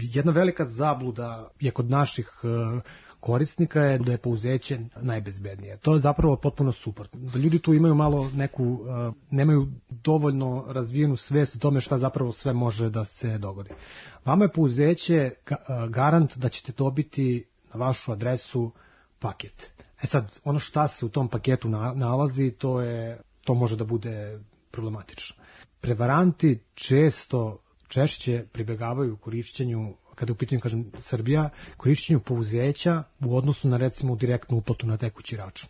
Jedna velika zabluda je kod naših korisnika je da je pouzeće najbezbednije. To je zapravo potpuno suprotno. Da ljudi tu imaju malo nemaju dovoljno razvijenu svest o tome šta zapravo sve može da se dogodi. Vama je pouzeće garant da ćete dobiti na vašu adresu paket. Sad, ono šta se u tom paketu nalazi, to može da bude problematično. Prevaranti češće pribegavaju korišćenju, kada u pitanju, kažem, Srbija, korišćenju pouzeća u odnosu na, recimo, direktnu uplatu na tekući račun.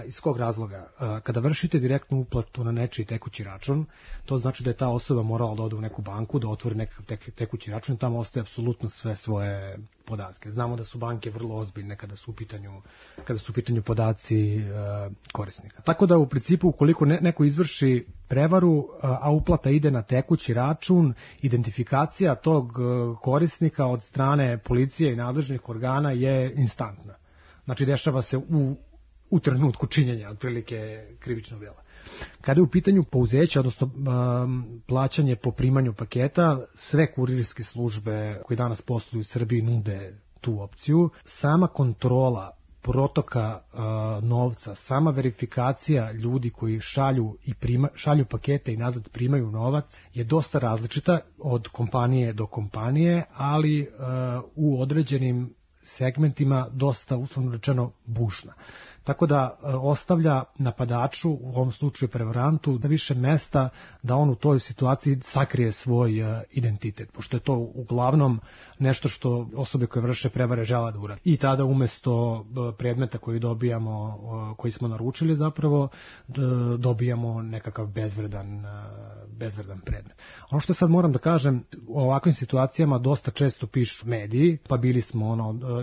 Iz kog razloga? Kada vršite direktnu uplatu na nečiji tekući račun, to znači da je ta osoba morala da ode u neku banku, da otvori nekakav tekući račun i tamo ostaje apsolutno sve svoje podatke. Znamo da su banke vrlo ozbiljne kada su u pitanju podaci korisnika. Tako da u principu ukoliko neko izvrši prevaru, a uplata ide na tekući račun, identifikacija tog korisnika od strane policije i nadležnih organa je instantna. Znači dešava se u trenutku činjenja otprilike krivičnog dela. Kada je u pitanju pouzeća, odnosno plaćanje po primanju paketa, sve kurirske službe koje danas posluju u Srbiji nude tu opciju. Sama kontrola protoka novca, sama verifikacija ljudi koji šalju pakete i nazad primaju novac je dosta različita od kompanije do kompanije, ali u određenim segmentima dosta, uslovno rečeno, bušna. Tako da ostavlja napadaču, u ovom slučaju prevarantu, da više mesta da on u toj situaciji sakrije svoj identitet, pošto je to uglavnom nešto što osobe koje vrše prevare žele da urade. I tada umesto predmeta koji smo naručili zapravo, dobijamo nekakav bezvredan predmet. Ono što sad moram da kažem, u ovakvim situacijama dosta često pišu mediji, pa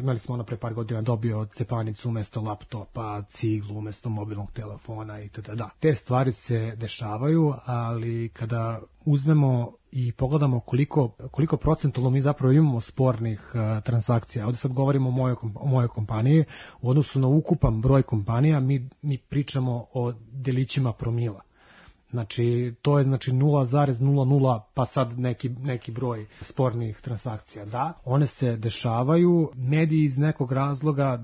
imali smo pre par godina dobio cepanicu umesto laptopa, ciglu umesto mobilnog telefona itd. Te stvari se dešavaju, ali kada uzmemo i pogledamo koliko procentualno mi zapravo imamo spornih transakcija. Ovdje sad govorimo o mojoj kompaniji. U odnosu na ukupan broj kompanija mi pričamo o delićima promila. Znači, to je 0,00 pa sad neki broj spornih transakcija. Da, one se dešavaju, mediji iz nekog razloga,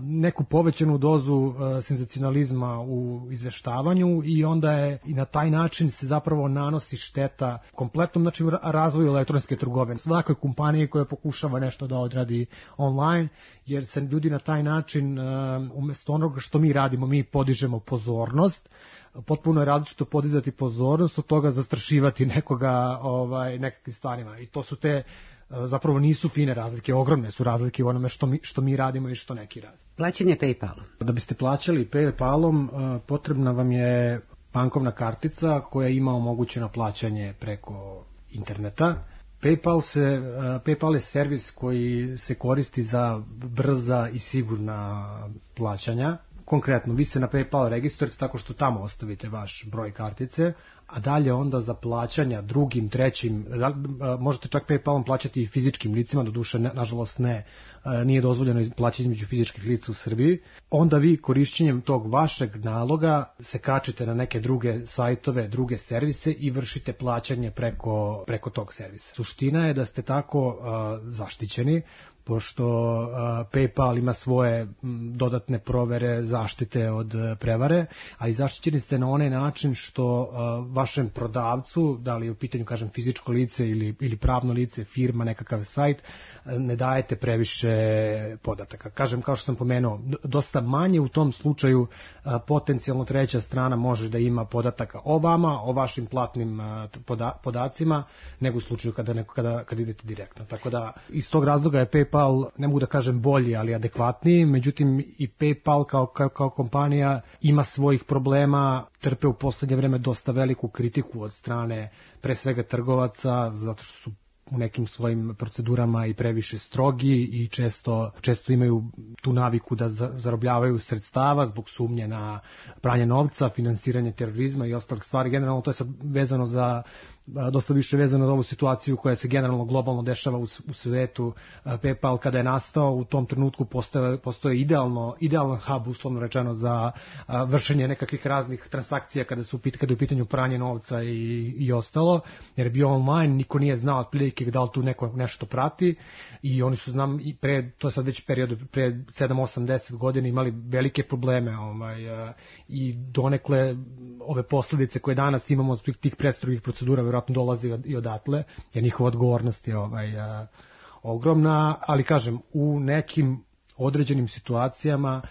neku povećanu dozu senzacionalizma u izveštavanju i onda je i na taj način se zapravo nanosi šteta kompletnom razvoju elektronske trgovine. Svakoj kompaniji koja pokušava nešto da odradi online, jer se ljudi na taj način, umjesto onoga što mi radimo, mi podižemo pozornost. Potpuno je različito podizati pozornost od toga zastrašivati nekoga nekakvim stvarima. I to su zapravo nisu fine razlike, ogromne su razlike u onome što mi radimo i što neki rade. Plaćanje PayPalom. Da biste plaćali PayPalom, potrebna vam je bankovna kartica koja ima omogućeno plaćanje preko interneta. PayPal je servis koji se koristi za brza i sigurna plaćanja. Konkretno, vi se na PayPal registrujete tako što tamo ostavite vaš broj kartice, a dalje onda za plaćanja drugim, trećim, možete čak PayPalom plaćati i fizičkim licima, doduše nažalost nije dozvoljeno plaćati između fizičkih lica u Srbiji. Onda vi korišćenjem tog vašeg naloga se kačite na neke druge sajtove, druge servise i vršite plaćanje preko tog servisa. Suština je da ste tako zaštićeni, pošto PayPal ima svoje dodatne provere zaštite od prevare, a i zaštićeni ste na onaj način što vašem prodavcu, da li je u pitanju, kažem, fizičko lice ili pravno lice, firma, nekakav sajt, ne dajete previše podataka. Kažem, kao što sam pomenuo, dosta manje u tom slučaju potencijalno treća strana može da ima podataka o vama, o vašim platnim podacima, nego u slučaju kada idete direktno. Tako da, iz tog razloga je PayPal, ne mogu da kažem bolji, ali adekvatniji, međutim i PayPal kao kompanija ima svojih problema, trpe u poslednje vreme dosta veliku kritiku od strane pre svega trgovaca, zato što su u nekim svojim procedurama i previše strogi i često imaju tu naviku da zarobljavaju sredstava zbog sumnje na pranje novca, finansiranje terorizma i ostalih stvari. Generalno to je sad vezano dosta više vezano za ovu situaciju koja se generalno globalno dešava u svetu. PayPal kada je nastao u tom trenutku postoje idealan hub, uslovno rečeno, za vršenje nekakvih raznih transakcija kada je u pitanju pranje novca i ostalo, jer je bio online, niko nije znao otprilike politike, da li tu neko nešto prati i oni su, znam, i pre, to je sad već period pre 7, 8, 10 godina imali velike probleme i donekle ove posledice koje danas imamo od tih prestrogih procedura vjerojatno dolazi i odatle, jer njihova odgovornost je ogromna, ali kažem, u nekim određenim situacijama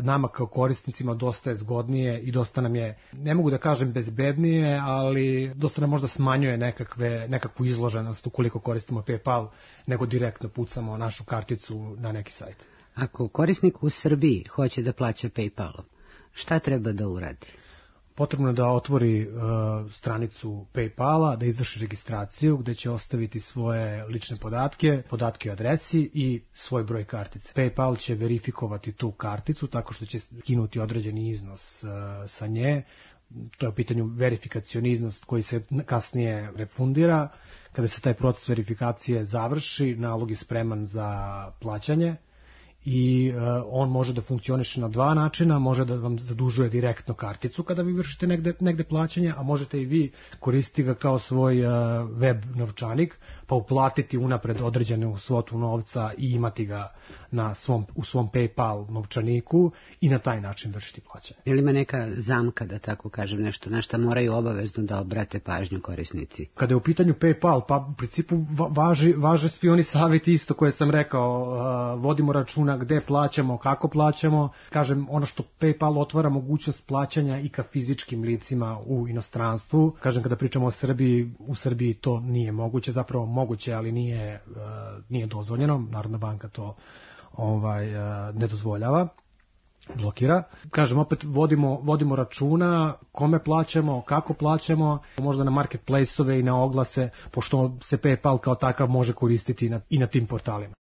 nama kao korisnicima dosta je zgodnije i dosta nam je, ne mogu da kažem bezbednije, ali dosta nam možda smanjuje nekakvu izloženost ukoliko koristimo PayPal, nego direktno pucamo našu karticu na neki sajt. Ako korisnik u Srbiji hoće da plaća PayPalom, šta treba da uradi? Potrebno je da otvori stranicu PayPala, da izvrši registraciju gde će ostaviti svoje lične podatke o adresi i svoj broj kartice. PayPal će verifikovati tu karticu tako što će skinuti određeni iznos sa nje. To je u pitanju verifikacioni iznos koji se kasnije refundira. Kada se taj proces verifikacije završi, nalog je spreman za plaćanje. I on može da funkcioniše na dva načina, može da vam zadužuje direktno karticu kada vi vršite negde plaćanje, a možete i vi koristiti ga kao svoj web novčanik, pa uplatiti unapred određenu svotu novca i imati ga u svom PayPal novčaniku i na taj način vršiti plaćanje. Je li ima neka zamka, da tako kažem, nešto na šta moraju obavezno da obrate pažnju korisnici? Kada je u pitanju PayPal, pa u principu važe svi oni savjeti isto koje sam rekao, vodimo računa gde plaćamo, kako plaćamo. Kažem, ono što PayPal otvara mogućnost plaćanja i ka fizičkim licima u inostranstvu. Kažem, kada pričamo o Srbiji, u Srbiji to nije moguće, zapravo moguće, ali nije dozvoljeno. Narodna banka to ne dozvoljava, blokira. Kažem, opet vodimo računa kome plaćamo, kako plaćamo, možda na marketplace-ove i na oglase, pošto se PayPal kao takav može koristiti i na tim portalima.